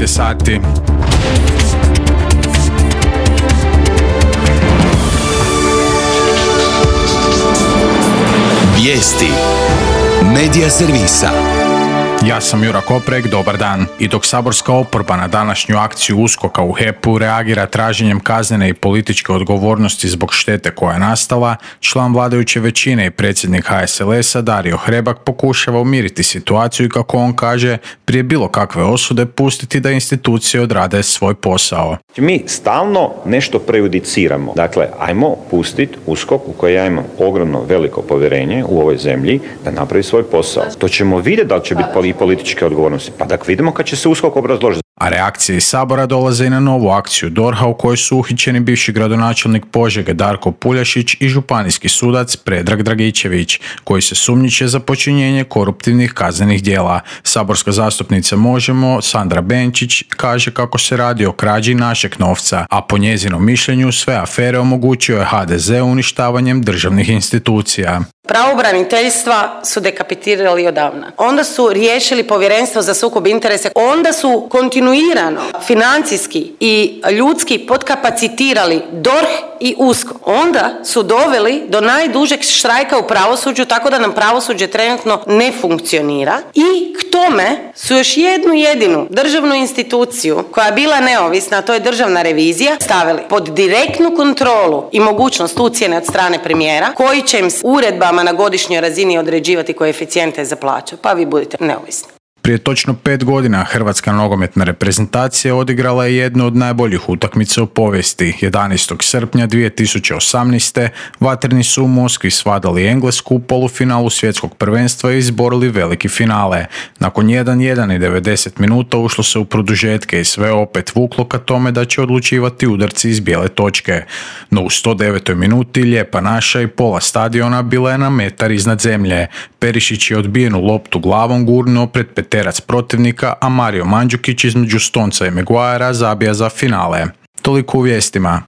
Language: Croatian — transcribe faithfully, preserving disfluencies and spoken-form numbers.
je sati. Vijesti Medija servisa. Ja sam Jura Koprek, dobar dan. I dok saborska oporba na današnju akciju USKOK-a u H E P-u reagira traženjem kaznene i političke odgovornosti zbog štete koja je nastala, član vladajuće većine i predsjednik H S L S-a Dario Hrebak pokušava umiriti situaciju i, kako on kaže, prije bilo kakve osude pustiti da institucije odrade svoj posao. Mi stalno nešto prejudiciramo. Dakle, ajmo pustiti USKOK, u koji ja imam ogromno veliko povjerenje u ovoj zemlji, da napravi svoj posao. To ćemo vidjeti da li će biti političke odgovornosti. Pa da vidimo kad će se USKOK obrazložiti. A reakcije iz Sabora dolaze i na novu akciju D O R H-a u kojoj su uhićeni bivši gradonačelnik Požege Darko Puljašić i županijski sudac Predrag Dragičević, koji se sumnjiče za počinjenje koruptivnih kaznenih djela. Saborska zastupnica Možemo, Sandra Benčić, kaže kako se radi o krađi našeg novca, a po njezinom mišljenju sve afere omogućio je H D Z uništavanjem državnih institucija. Pravobraniteljstva su dekapitirali odavna. Onda su riješili povjerenstvo za sukob interesa. Onda su kontinuirano financijski i ljudski podkapacitirali D O R H i USKOK. Onda su doveli do najdužeg štrajka u pravosuđu, tako da nam pravosuđe trenutno ne funkcionira. I k tome su još jednu jedinu državnu instituciju koja je bila neovisna, a to je Državna revizija, stavili pod direktnu kontrolu i mogućnost ucjene od strane premijera, koji će im s uredbama na godišnjoj razini određivati koeficijente za plaće. Pa vi budite neovisni. Prije točno pet godina Hrvatska nogometna reprezentacija odigrala je jednu od najboljih utakmica u povijesti. jedanaestog srpnja dvije tisuće osamnaeste. vatreni su u Moskvi svladali Englesku u polufinalu svjetskog prvenstva i izborili veliki finale. Nakon jedan jedan i devedeset minuta ušlo se u produžetke i sve opet vuklo ka tome da će odlučivati udarci iz bijele točke. No u sto devetoj minuti Lijepa naša i pola stadiona bila je na metar iznad zemlje. Perišić je odbijenu loptu glavom gurnuo pred peterac protivnika, a Mario Mandžukić između Stonca i Maguirea zabija za finale. Toliko u vijestima.